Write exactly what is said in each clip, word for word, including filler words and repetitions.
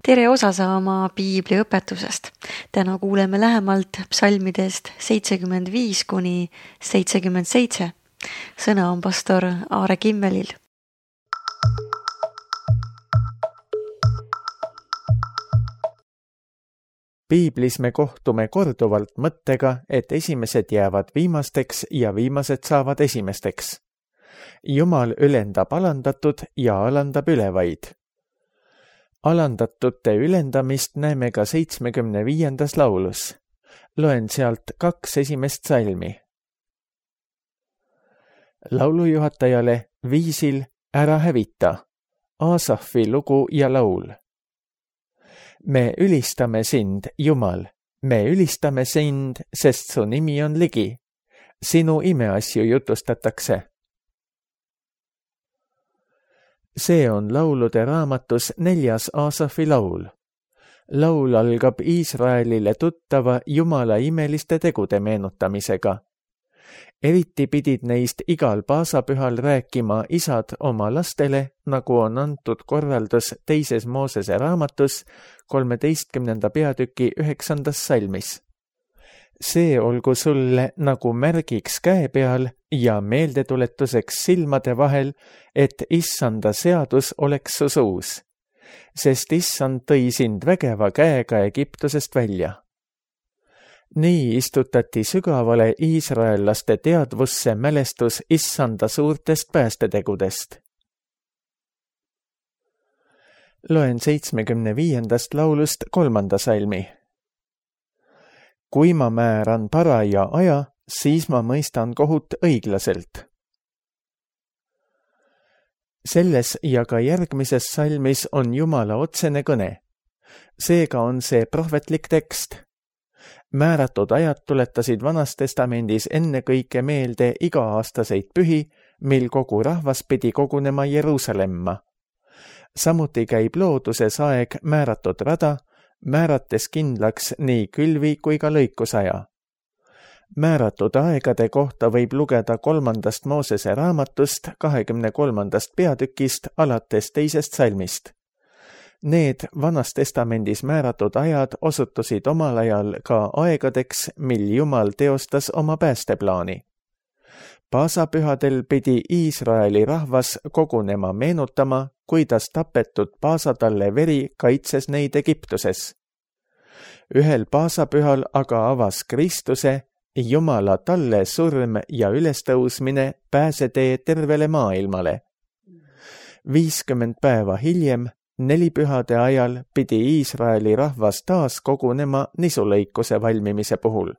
tere osa saama piibli õpetusest. Täna kuuleme lähemalt psalmidest seitsekümmend viis kuni seitsekümmend seitse. Sõna on pastor Aare Kimmelil. Piiblis me kohtume korduvalt mõttega, et esimesed jäävad viimasteks ja viimased saavad esimesteks. Jumal ülendab alandatud ja alandab ülevaid. Alandatute ülendamist näeme ka seitsmekümne viiendas laulus. Loen sealt kaks esimest salmi. Laulujuhatajale viisil Ära hävita, Aasafi lugu ja laul. Me ülistame sind, Jumal, me ülistame sind, sest su nimi on ligi. Sinu imeasju jutustatakse. See on laulude raamatus neljas Aasafi laul. Laul algab Iisraelile tuttava Jumala imeliste tegude meenutamisega. Eriti pidid neist igal paasapühal rääkima isad oma lastele, nagu on antud korraldus teises Moosese raamatus kolmeteistkümnenda peatüki üheksandas salmis. See olgu sulle nagu märgiks käe peal ja meeldetuletuseks silmade vahel, et issanda seadus oleks su suus, sest issand tõi sind vägeva käega Egiptusest välja. Nii istutati sügavale iisraellaste teadvusse mälestus issanda suurtest päästetegudest. Loen seitsmekümne viiendast laulust kolmanda salmi. Kui ma määran paraja aja, siis ma mõistan kohut õiglaselt. Selles ja ka järgmises salmis on Jumala otsene kõne. Seega on see prohvetlik tekst. Määratud ajad tuletasid Vanas Testamendis ennekõike meelde iga-aastaseid pühi, mil kogu rahvas pidi kogunema Jeruusalemma. Samuti käib looduses aeg määratud rada, määrates kindlaks nii külvi kui ka lõikusaja. Määratud aegade kohta võib lugeda kolmandast Moosese raamatust kahekümne kolmandast peatükist alates teisest salmist. Need Vanas Testamendis määratud ajad osutusid omal ajal ka aegadeks, mil Jumal teostas oma päästeplaani. Paasapühadel pidi Iisraeli rahvas kogunema meenutama, kuidas tapetud paasatalle veri kaitses neid Egiptuses. Ühel paasapühal aga avas Kristuse, Jumala talle surm ja ülestõusmine pääsetee tervele maailmale. viiskümmend päeva hiljem, nelipühade ajal pidi Iisraeli rahvas taas kogunema nisulõikuse valmimise puhul.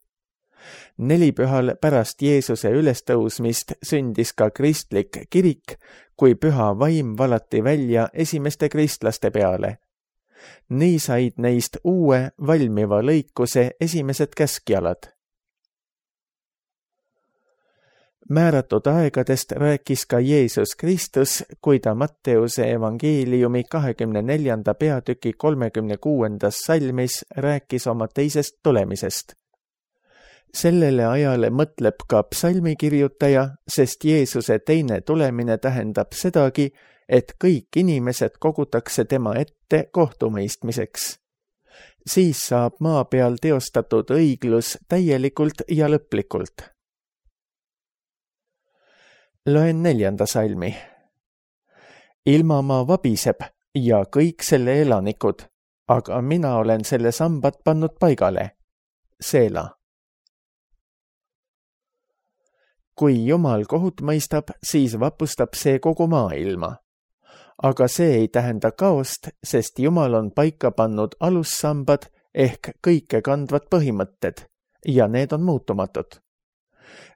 Nelipühal pärast Jeesuse ülestõusmist sündis ka kristlik kirik, kui püha vaim valati välja esimeste kristlaste peale. Nii said neist uue valmiva lõikuse esimesed käskjalad. Määratud aegadest rääkis ka Jeesus Kristus, kui ta Matteuse evangeeliumi kahekümne neljanda peatüki kolmekümne kuuendas salmis rääkis oma teisest tulemisest. Sellele ajale mõtleb ka psalmikirjutaja, sest Jeesuse teine tulemine tähendab sedagi, et kõik inimesed kogutakse tema ette kohtumõistmiseks. Siis saab maa peal teostatud õiglus täielikult ja lõplikult. Loen neljanda salmi. Ilmamaa vabiseb ja kõik selle elanikud, aga mina olen selle sambad pannud paigale. Seela. Kui Jumal kohut mõistab, siis vapustab see kogu maailma. Aga see ei tähenda kaost, sest Jumal on paika pannud alussambad ehk kõike kandvad põhimõtted ja need on muutumatud.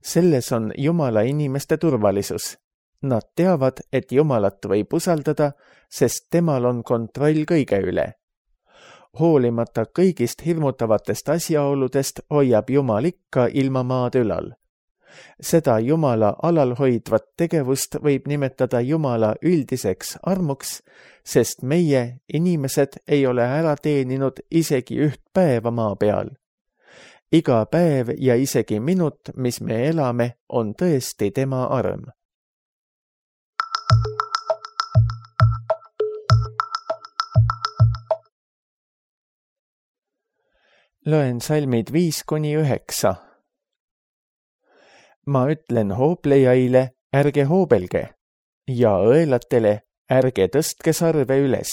Selles on Jumala inimeste turvalisus. Nad teavad, et Jumalat võib usaldada, sest temal on kontroll kõige üle. Hoolimata kõigist hirmutavatest asjaoludest hoiab Jumal ikka ilmamaad ülal. Seda Jumala alalhoidvat tegevust võib nimetada Jumala üldiseks armuks, sest meie, inimesed, ei ole ära teeninud isegi üht päeva maa peal. Iga päev ja isegi minut, mis me elame, on tõesti tema arm. Loen salmid viis kuni üheksa. Ma ütlen hooplejaile, ärge hoobelge, ja õelatele, ärge tõstke sarve üles.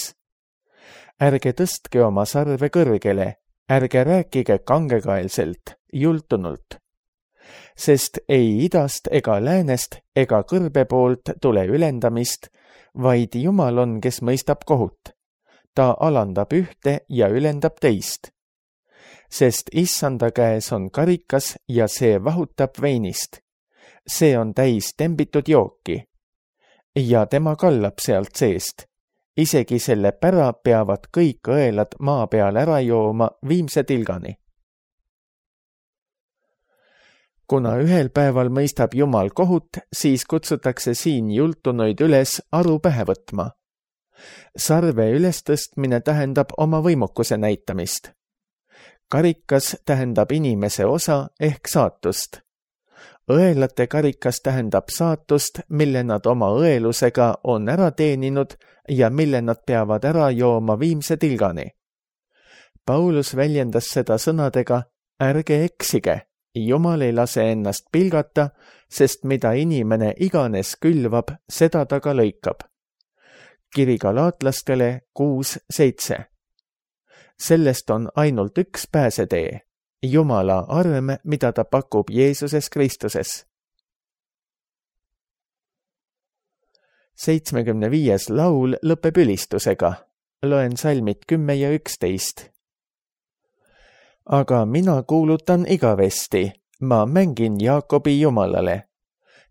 Ärge tõstke oma sarve kõrgele, ärge rääkige kangekaelselt, jultunult. Sest ei idast ega läänest ega kõrbe poolt tule ülendamist, vaid Jumal on, kes mõistab kohut. Ta alandab ühte ja ülendab teist. Sest issanda käes on karikas ja see vahutab veinist. See on täis tembitud jooki. Ja tema kallab sealt seest. Isegi selle pära peavad kõik õelad maa peal ära jooma viimse tilgani. Kuna ühel päeval mõistab Jumal kohut, siis kutsutakse siin jultunuid üles aru pähe võtma. Sarve ülestõstmine tähendab oma võimukuse näitamist. Karikas tähendab inimese osa ehk saatust. Õelate karikas tähendab saatust, mille nad oma õelusega on ära teeninud ja mille nad peavad ära jooma viimse tilgani. Paulus väljendas seda sõnadega, ärge eksige, Jumal ei lase ennast pilgata, sest mida inimene iganes külvab, seda ta ka lõikab. Kiri galaatlastele kuus seitse. Sellest on ainult üks pääsetee, Jumala arm, mida ta pakub Jeesuses Kristuses. seitsmekümne viies laul lõpeb ülistusega. Loen salmid kümme ja üksteist. Aga mina kuulutan igavesti, ma mängin Jaakobi Jumalale.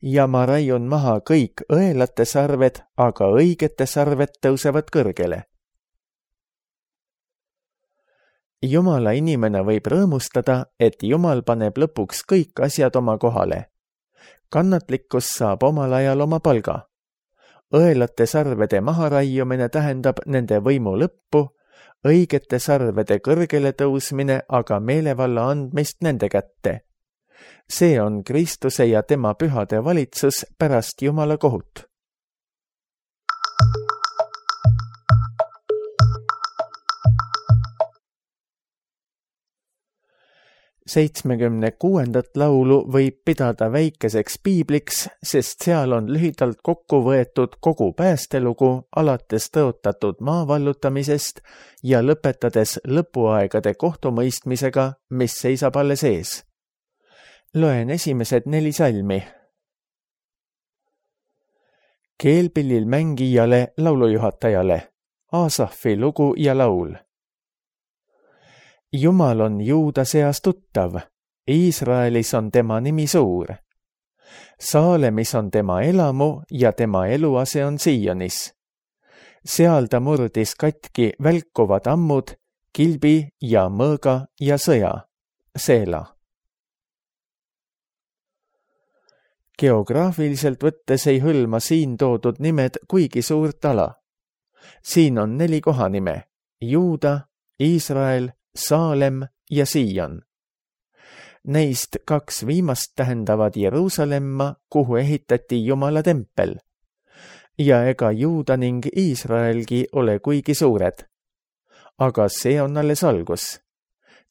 Ja ma raiun maha kõik õelate sarved, aga õigete sarved tõusevad kõrgele. Jumala inimene võib rõõmustada, et Jumal paneb lõpuks kõik asjad oma kohale. Kannatlikkus saab omal ajal oma palga. Õelate sarvede maharaiumine tähendab nende võimu lõppu, õigete sarvede kõrgele tõusmine aga meelevalla andmist nende kätte. See on Kristuse ja tema pühade valitsus pärast Jumala kohut. seitsmekümne kuuendat laulu võib pidada väikeseks piibliks, sest seal on lühidalt kokku võetud kogu päästelugu alates tõotatud maa vallutamisest ja lõpetades lõpuaegade kohtumõistmisega, mis seisab alles ees. Loen esimesed neli salmi. Keelpillil mängijale, laulujuhatajale, Aasafi lugu ja laul. Jumal on Juuda seas tuttav, Iisraelis on tema nimi suur. Saalemis on tema elamu ja tema eluase on Sionis. Seal ta murdis katki välkuvad ammud, kilbi ja mõõga ja sõja, Seela. Geograafiliselt võttes ei hõlma siin toodud nimed kuigi suurt ala. Siin on neli kohanime, Juuda, Iisrael, Saalem ja Sion. Neist kaks viimast tähendavad Jeruusalemma, kuhu ehitati Jumala tempel. Ja ega Juuda ning Iisraelgi ole kuigi suured. Aga see on alles algus.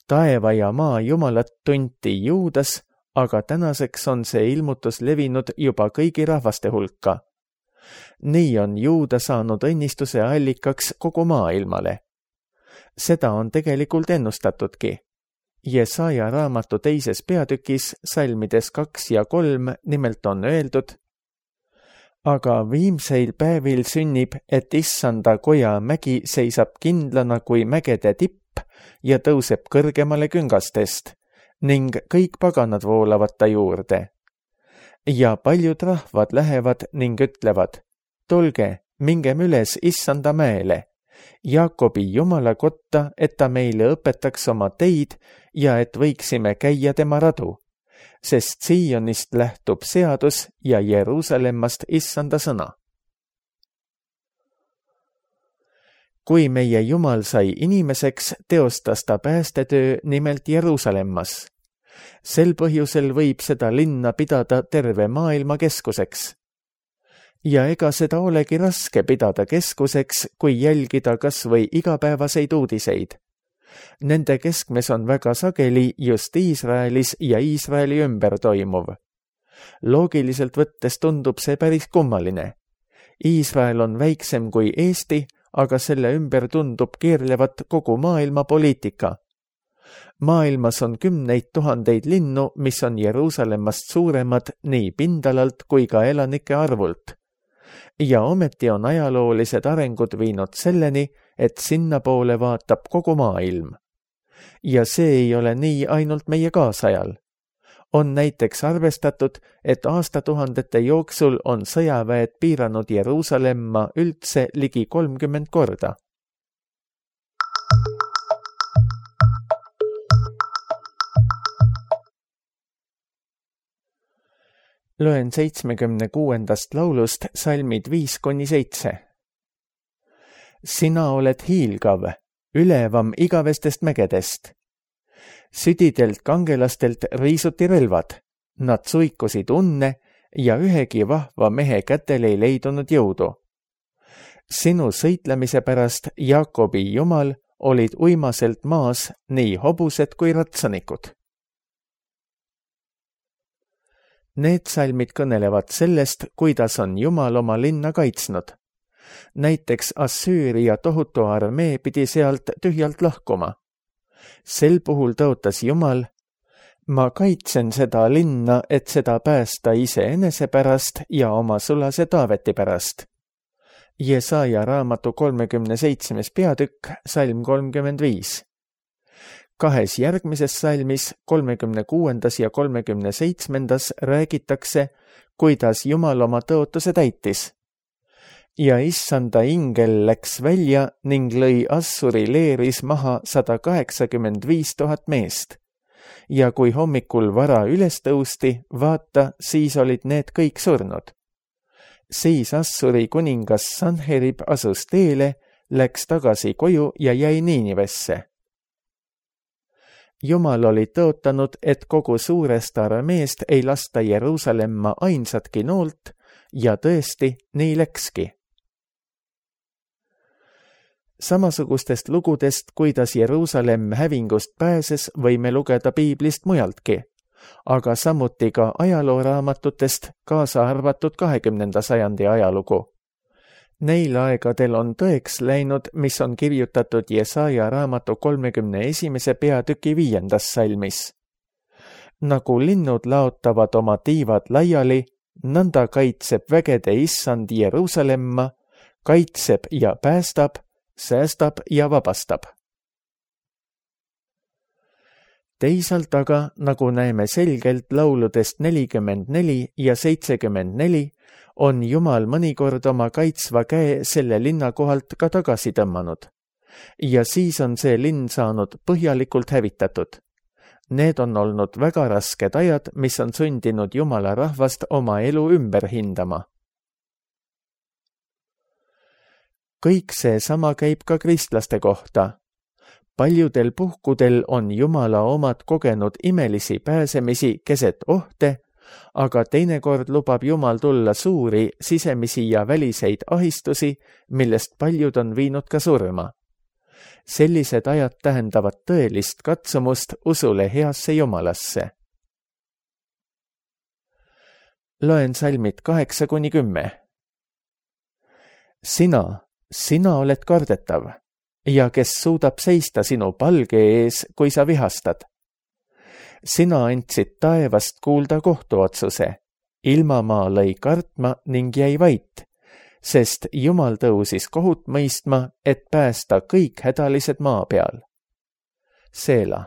Taeva ja maa Jumalat tunti Juudas, aga tänaseks on see ilmutus levinud juba kõigi rahvaste hulka. Nii on Juuda saanud õnnistuse allikaks kogu maailmale. Seda on tegelikult ennustatudki. Jesaja raamatu teises peatükis, salmides kaks ja kolm, nimelt on öeldud, aga viimseil päevil sünnib, et issanda koja mägi seisab kindlana kui mägede tipp ja tõuseb kõrgemale küngastest ning kõik paganad voolavad ta juurde. Ja paljud rahvad lähevad ning ütlevad, tulge, mingem üles issanda mäele, Jaakobi Jumala kotta, et ta meile õpetaks oma teid ja et võiksime käia tema radu, sest Sionist lähtub seadus ja Jeruusalemmast issanda sõna. Kui meie Jumal sai inimeseks, teostas ta päästetöö nimelt Jeruusalemmas. Sel põhjusel võib seda linna pidada terve maailma keskuseks. Ja ega seda olegi raske pidada keskuseks, kui jälgida kas või igapäevaseid uudiseid. Nende keskmes on väga sageli just Iisraelis ja Iisraeli ümber toimuv. Loogiliselt võttes tundub see päris kummaline. Iisrael on väiksem kui Eesti, aga selle ümber tundub keerlevat kogu maailma poliitika. Maailmas on kümneid tuhandeid linnu, mis on Jeruusalemmast suuremad nii pindalalt kui ka elanike arvult. Ja ometi on ajaloolised arengud viinud selleni, et sinna poole vaatab kogu maailm. Ja see ei ole nii ainult meie kaasajal. On näiteks arvestatud, et aastatuhandete jooksul on sõjaväed piiranud Jeruusalemma üldse ligi kolmkümmend korda. Loen seitsmekümne kuuendast laulust salmid viis kuni seitse. Sina oled hiilgav, ülevam igavestest mägedest. Südidelt kangelastelt riisuti relvad, nad suikusid unne ja ühegi vahva mehe kätel ei leidunud jõudu. Sinu sõitlemise pärast, Jaakobi Jumal, olid uimaselt maas nii hobused kui ratsanikud. Need salmid kõnelevad sellest, kuidas on Jumal oma linna kaitsnud. Näiteks Assüüria tohutu armee pidi sealt tühjalt lahkuma. Sel puhul tõotas Jumal, ma kaitsen seda linna, et seda päästa iseenese pärast ja oma sulase Taaveti pärast. Jesaja raamatu kolmekümne seitsmes peatükk, salm kolmkümmend viis. Kahes järgmises salmis, kolmekümne kuuendas ja kolmekümne seitsmendas räägitakse, kuidas Jumal oma tõotuse täitis. Ja issanda ingel läks välja ning lõi Assuri leeris maha sada kaheksakümmend viis tuhat meest. Ja kui hommikul vara üles tõusti, vaata, siis olid need kõik surnud. Siis Assuri kuningas Sanherib asus teele, läks tagasi koju ja jäi Niinivesse. Jumal oli tõotanud, et kogu suurest armeest ei lasta Jeruusalemma ainsatki noolt ja tõesti nii läkski. Samasugustest lugudest, kuidas Jeruusalemm hävingust pääses, võime lugeda piiblist mujaltki, aga samuti ka ajalooraamatutest, kaasa arvatud kahekümnenda sajandi ajalugu. Neil aegadel on tõeks läinud, mis on kirjutatud Jesaja raamatu kolmekümne esimese peatüki viiendas salmis. Nagu linnud laotavad oma tiivad laiali, nõnda kaitseb vägede issand Jeruusalemma, kaitseb ja päästab, säästab ja vabastab. Teisalt aga, nagu näeme selgelt lauludest nelikümmend neli ja seitsekümmend neli, on Jumal mõnikord oma kaitsva käe selle linna kohalt ka tagasi tõmmanud. Ja siis on see linn saanud põhjalikult hävitatud. Need on olnud väga rasked ajad, mis on sundinud Jumala rahvast oma elu ümber hindama. Kõik see sama käib ka kristlaste kohta. Paljudel puhkudel on Jumala omad kogenud imelisi pääsemisi keset ohte, aga teinekord lubab Jumal tulla suuri sisemisi ja väliseid ahistusi, millest paljud on viinud ka surma. Sellised ajad tähendavad tõelist katsumust usule heasse Jumalasse. Loen salmid kaheksa kuni kümme. Sina, sina oled kardetav, ja kes suudab seista sinu palge ees, kui sa vihastad. Sina andsid taevast kuulda kohtuotsuse, ilmamaa lõi kartma ning jäi vait, sest Jumal tõusis kohut mõistma, et päästa kõik hädalised maa peal. Seela.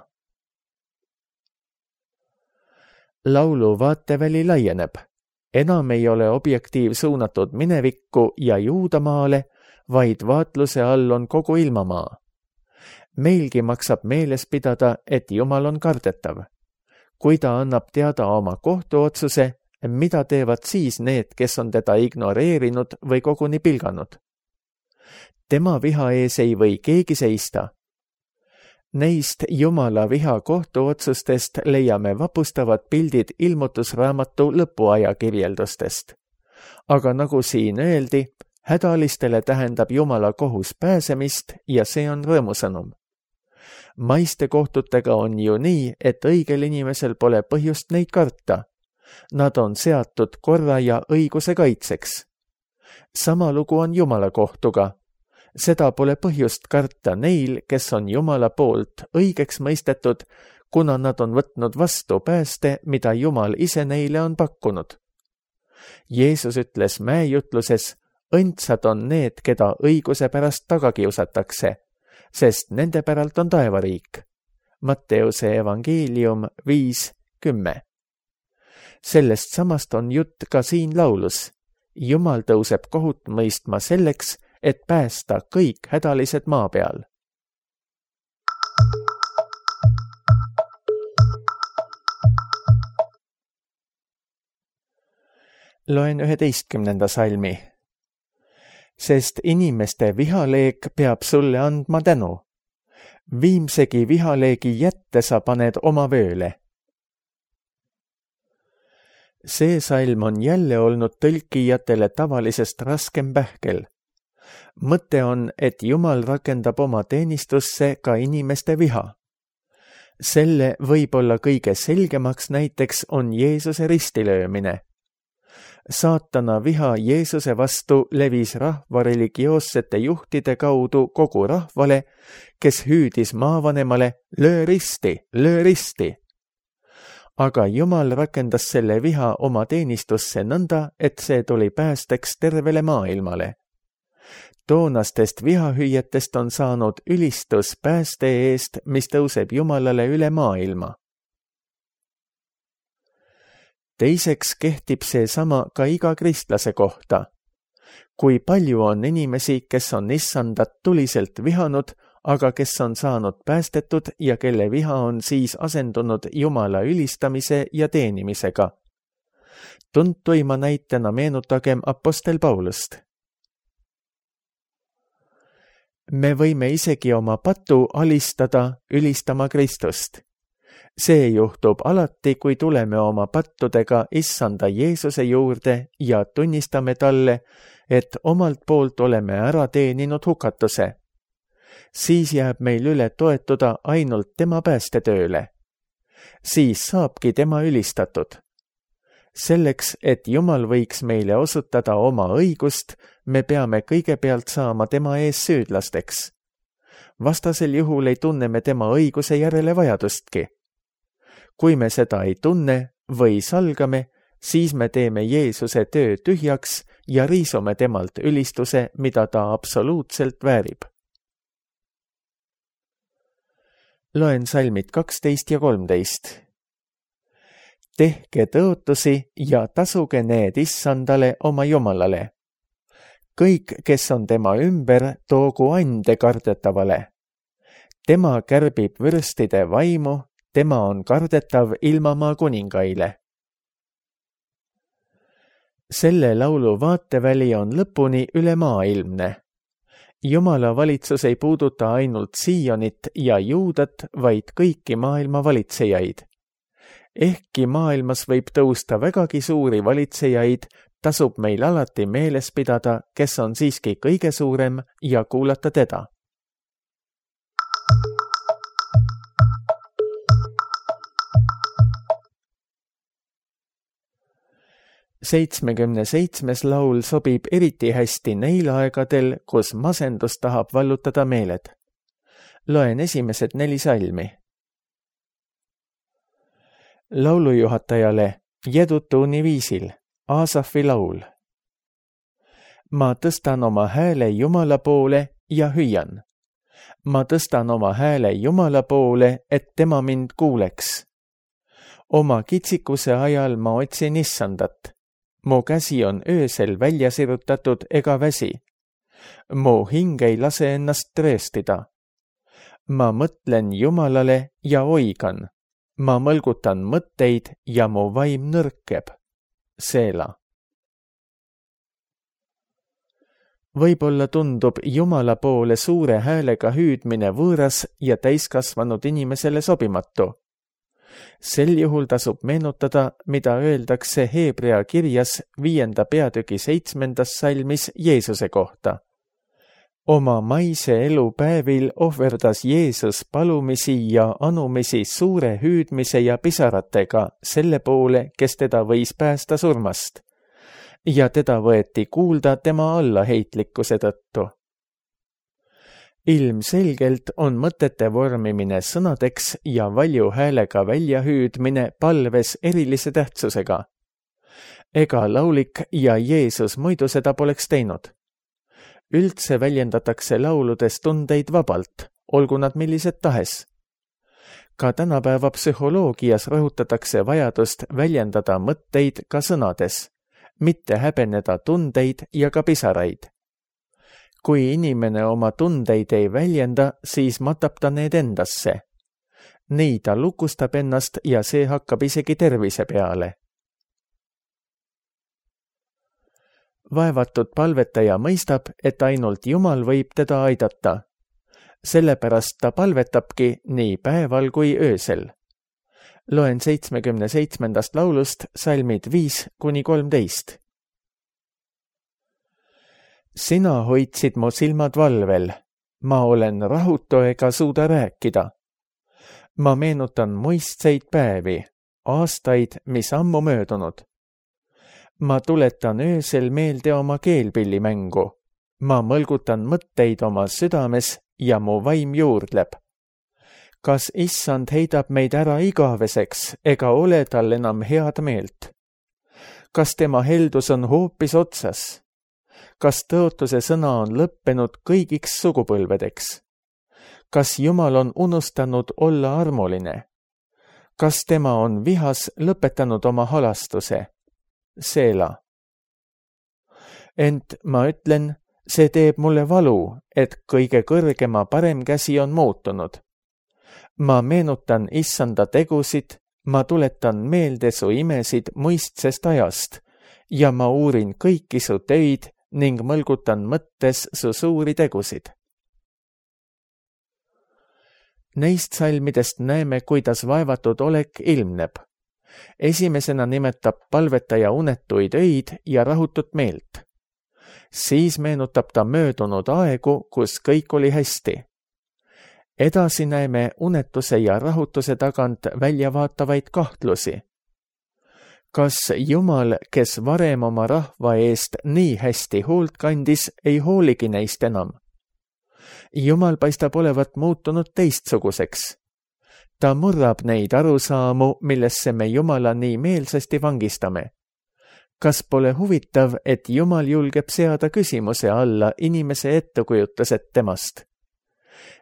Laulu vaateväli laieneb. Enam ei ole objektiiv suunatud minevikku ja Juudamaale, vaid vaatluse all on kogu ilmamaa. Meilgi maksab meeles pidada, et Jumal on kardetav. Kui ta annab teada oma kohtuotsuse, mida teevad siis need, kes on teda ignoreerinud või koguni pilganud? Tema viha ees ei või keegi seista. Neist Jumala viha kohtuotsustest leiame vapustavad pildid ilmutusraamatu lõpuaja kirjeldustest. Aga nagu siin öeldi, hädalistele tähendab Jumala kohus pääsemist ja see on rõõmusõnum. maiste kohtutega on ju nii, et õigel inimesel pole põhjust neid karta. Nad on seatud korra ja õiguse kaitseks. Sama lugu on Jumala kohtuga. Seda pole põhjust karta neil, kes on Jumala poolt õigeks mõistetud, kuna nad on võtnud vastu pääste, mida Jumal ise neile on pakkunud. Jeesus ütles mäejutluses, õndsad on need, keda õiguse pärast taga kiusatakse, sest nende päralt on taevariik. Matteuse evangeelium viis kümme. Sellest samast on jutt ka siin laulus. Jumal tõuseb kohut mõistma selleks, et päästa kõik hädalised maa peal. Loen üheteistkümnenda salmi. Sest inimeste vihaleek peab sulle andma tänu. Viimsegi vihaleegi jätte sa paned oma vööle. See salm on jälle olnud tõlkijatele tavalisest raskem pähkel. Mõte on, et Jumal rakendab oma teenistusse ka inimeste viha. Selle võib-olla kõige selgemaks näiteks on Jeesuse ristilöömine. Saatana viha Jeesuse vastu levis rahva religioossete juhtide kaudu kogu rahvale, kes hüüdis maavanemale, löö risti, löö risti. Aga Jumal rakendas selle viha oma teenistusse nõnda, et see tuli päästeks tervele maailmale. Toonastest vihahüüetest on saanud ülistus pääste eest, mis tõuseb Jumalale üle maailma. Teiseks kehtib see sama ka iga kristlase kohta. Kui palju on inimesi, kes on issandat tuliselt vihanud, aga kes on saanud päästetud ja kelle viha on siis asendunud Jumala ülistamise ja teenimisega. Tuntuima näitena meenutagem apostel Paulust. Me võime isegi oma patu alistada ülistama Kristust. See juhtub alati, kui tuleme oma pattudega issanda Jeesuse juurde ja tunnistame talle, et omalt poolt oleme ära teeninud hukatuse. Siis jääb meil üle toetuda ainult tema päästetööle. Siis saabki tema ülistatud. Selleks, et Jumal võiks meile osutada oma õigust, me peame kõigepealt saama tema ees süüdlasteks. Vastasel juhul ei tunne me tema õiguse järele vajadustki. Kui me seda ei tunne või salgame, siis me teeme Jeesuse töö tühjaks ja riisume temalt ülistuse, mida ta absoluutselt väärib. Loen salmid kaksteist ja kolmteist. Tehke tõotusi ja tasuge need issandale oma Jumalale. Kõik, kes on tema ümber, toogu ande kardetavale. Tema kärbib vürstide vaimu, tema on kardetav ilmamaa kuningaile. Selle laulu vaateväli on lõpuni üle maailmne. Jumala valitsus ei puuduta ainult Siionit ja Juudat, vaid kõiki maailma valitsejaid. Ehkki maailmas võib tõusta vägagi suuri valitsejaid, tasub meil alati meeles pidada, kes on siiski kõige suurem ja kuulata teda. seitsmekümne seitsmes laul sobib eriti hästi neil aegadel, kus masendus tahab vallutada meeled. Loen esimesed neli salmi. Laulujuhatajale Jedutuuni viisil, Aasafi laul. Ma tõstan oma hääle Jumala poole ja hüüan. Ma tõstan oma hääle Jumala poole, et tema mind kuuleks. Oma kitsikuse ajal ma otsin issandat. Mu käsi on öösel välja sirutatud ega väsi. Mu hing ei lase ennast trööstida. Ma mõtlen Jumalale ja oigan. Ma mõlgutan mõtteid ja mu vaim nõrkeb. Seela. Võib-olla tundub Jumala poole suure häälega hüüdmine võõras ja täiskasvanud inimesele sobimatu. Sel juhul tasub meenutada, mida öeldakse Heebrea kirjas viienda peatüki seitsmendas salmis Jeesuse kohta. Oma maise elu päevil ohverdas Jeesus palumisi ja anumisi suure hüüdmise ja pisaratega selle poole, kes teda võis päästa surmast. Ja teda võeti kuulda tema allaheitlikkuse tõttu. Ilmselgelt on mõtete vormimine sõnadeks ja valju häälega väljahüüdmine palves erilise tähtsusega. Ega laulik ja Jeesus muidu seda poleks teinud. Üldse väljendatakse lauludes tundeid vabalt, olgu nad millised tahes. Ka tänapäeva psühholoogias rõhutatakse vajadust väljendada mõtteid ka sõnades, mitte häbeneda tundeid ja ka pisaraid. Kui inimene oma tundeid ei väljenda, siis matab ta need endasse. Nii ta lukustab ennast ja see hakkab isegi tervise peale. Vaevatud palvetaja mõistab, et ainult Jumal võib teda aidata. Sellepärast ta palvetabki nii päeval kui öösel. Loen seitsmekümne seitsmendast laulust salmid viis kuni kolmteist. Sina hoidsid mu silmad valvel, ma olen rahutu ega suuda rääkida. Ma meenutan muistseid päevi, aastaid, mis ammu möödunud. Ma tuletan öösel meelde oma keelpillimängu. Ma mõlgutan mõtteid oma südames ja mu vaim juurdleb. Kas issand heidab meid ära igaveseks ega ole tal enam head meelt? Kas tema heldus on hoopis otsas? Kas tõotuse sõna on lõppenud kõigiks sugupõlvedeks? Kas Jumal on unustanud olla armuline? Kas tema on vihas lõpetanud oma halastuse? Seela. Ent ma ütlen, see teeb mulle valu, et kõige kõrgema parem käsi on muutunud. Ma meenutan issanda tegusid, ma tuletan meelde su imesid muistsest ajast ja ma uurin kõiki su töid ning mõlgutan mõttes su suuri tegusid. Neist salmidest näeme, kuidas vaevatud olek ilmneb. Esimesena nimetab palvetaja unetuid öid ja rahutut meelt. Siis meenutab ta möödunud aegu, kus kõik oli hästi. Edasi näeme unetuse ja rahutuse tagant väljavaatavaid kahtlusi. Kas Jumal, kes varem oma rahva eest nii hästi hoolt kandis, ei hooligi neist enam? Jumal paistab olevat muutunud teistsuguseks. Ta murrab neid arusaamu, millesse me Jumala nii meelsasti vangistame. Kas pole huvitav, et Jumal julgeb seada küsimuse alla inimese ettekujutused temast?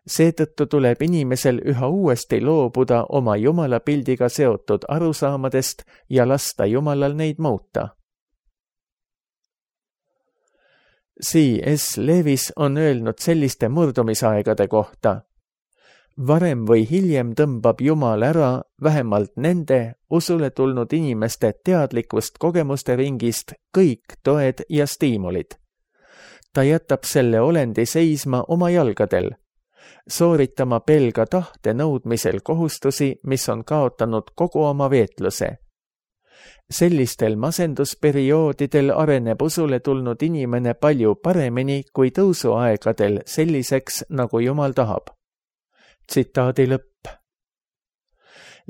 Seetõttu tuleb inimesel üha uuesti loobuda oma Jumala pildiga seotud arusaamadest ja lasta Jumalal neid muuta. C S Lewis on öelnud selliste murdumisaegade kohta. Varem või hiljem tõmbab Jumal ära vähemalt nende usule tulnud inimeste teadlikust kogemuste ringist kõik toed ja stiimulid. Ta jätab selle olendi seisma oma jalgadel, sooritama pelga tahte nõudmisel kohustusi, mis on kaotanud kogu oma veetluse. Sellistel masendusperioodidel areneb usule tulnud inimene palju paremini kui tõusuaegadel selliseks, nagu Jumal tahab. Tsitaadi lõpp.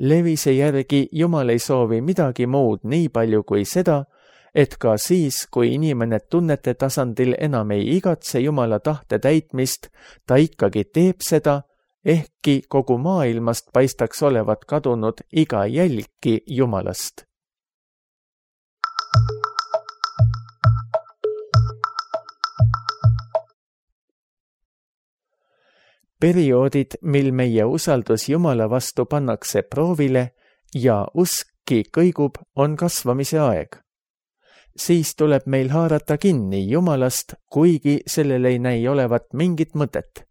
Lewise järgi Jumal ei soovi midagi muud nii palju kui seda, et ka siis, kui inimene tunnete tasandil enam ei igatse Jumala tahte täitmist, ta ikkagi teeb seda, ehkki kogu maailmast paistaks olevat kadunud iga jälgki Jumalast. Perioodid, mil meie usaldus Jumala vastu pannakse proovile ja uskki kõigub, on kasvamise aeg. Siis tuleb meil haarata kinni Jumalast, kuigi sellel ei näi olevat mingit mõtet.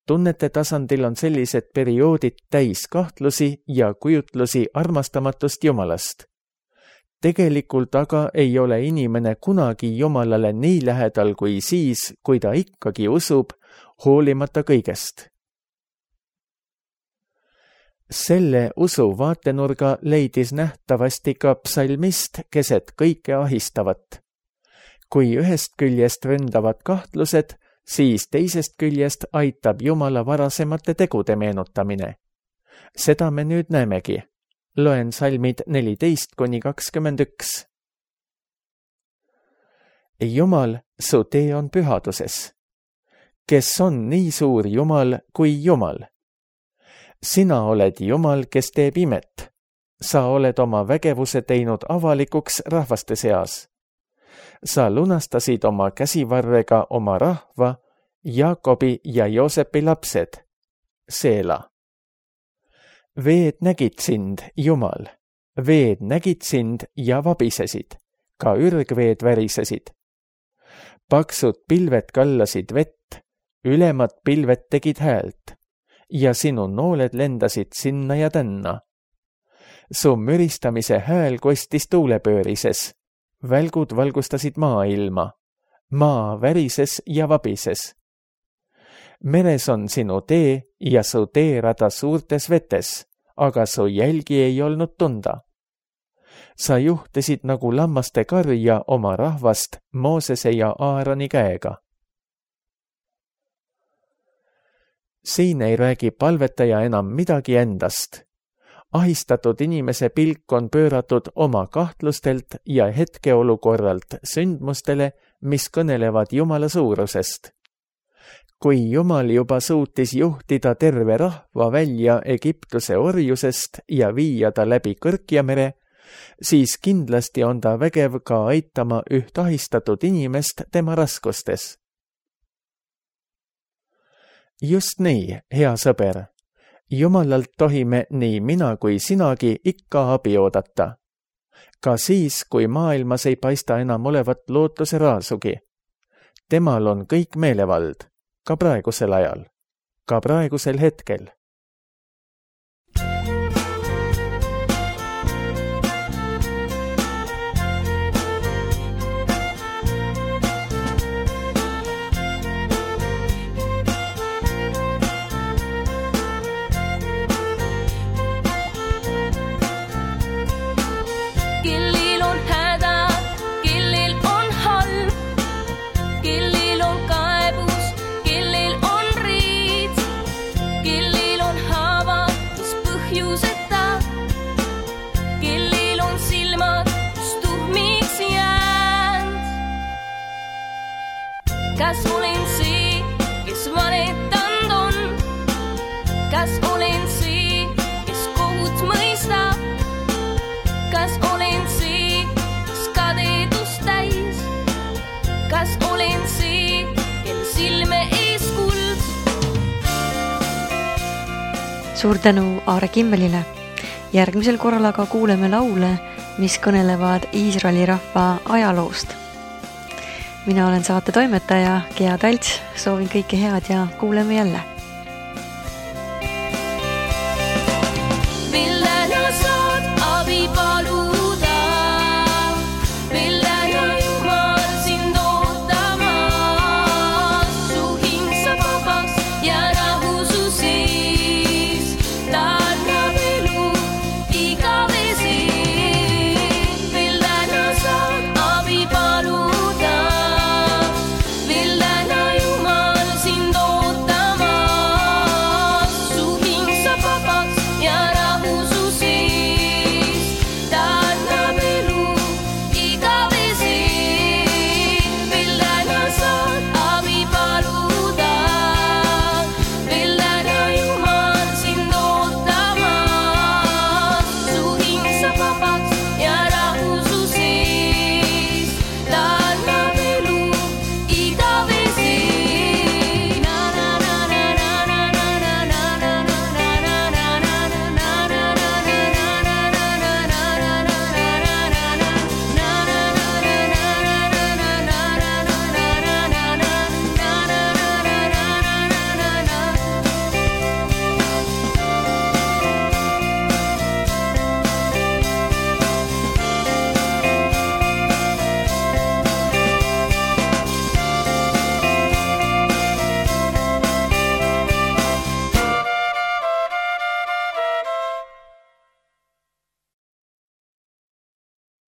Tunnete tasandil on sellised perioodid täis kahtlusi ja kujutlusi armastamatust Jumalast. Tegelikult aga ei ole inimene kunagi Jumalale nii lähedal kui siis, kui ta ikkagi usub, hoolimata kõigest. Selle usu vaatenurga leidis nähtavasti ka psalmist keset kõike ahistavat. Kui ühest küljest ründavad kahtlused, siis teisest küljest aitab Jumala varasemate tegude meenutamine. Seda me nüüd näemegi. Loen salmid neliteist kuni kakskümmend üks. Jumal, su tee on pühaduses. Kes on nii suur Jumal kui Jumal? Sina oled Jumal, kes teeb imet. Sa oled oma vägevuse teinud avalikuks rahvaste seas. Sa lunastasid oma käsivarrega oma rahva, Jaakobi ja Joosepi lapsed. Seela. Veed nägid sind, Jumal. Veed nägid sind ja vabisesid. Ka ürgveed värisesid. Paksud pilved kallasid vett, ülemad pilved tegid häält ja sinu nooled lendasid sinna ja tänna. Su müristamise hääl kostis tuulepöörises, välgud valgustasid maailma, maa värises ja vabises. Meres on sinu tee ja su teerada suurtes vetes, aga su jälgi ei olnud tunda. Sa juhtisid nagu lammaste karja oma rahvast Moosese ja Aaroni käega. Siin ei räägi palvetaja enam midagi endast. Ahistatud inimese pilk on pööratud oma kahtlustelt ja hetkeolukorralt sündmustele, mis kõnelevad Jumala suurusest. Kui Jumal juba suutis juhtida terve rahva välja Egiptuse orjusest ja viia ta läbi Kõrkjamere, siis kindlasti on ta vägev ka aitama üht ahistatud inimest tema raskustes. Just nii, hea sõber. Jumalalt tohime nii mina kui sinagi ikka abi oodata. Ka siis, kui maailmas ei paista enam olevat lootuse raasugi. Temal on kõik meelevald, ka praegusel ajal, ka praegusel hetkel. Kas olen see, kes valetanud on? Kas olen see, kes kohut mõistab? Kas olen see, kes kadedust täis? Kas olen see, kel silme ees kuld? Suur tänu Aare Kimmelile. Järgmisel korral aga kuuleme laule, mis kõnelevad Iisraeli rahva ajaloost. Mina olen saate toimetaja Gea Talts, soovin kõike head ja kuuleme jälle.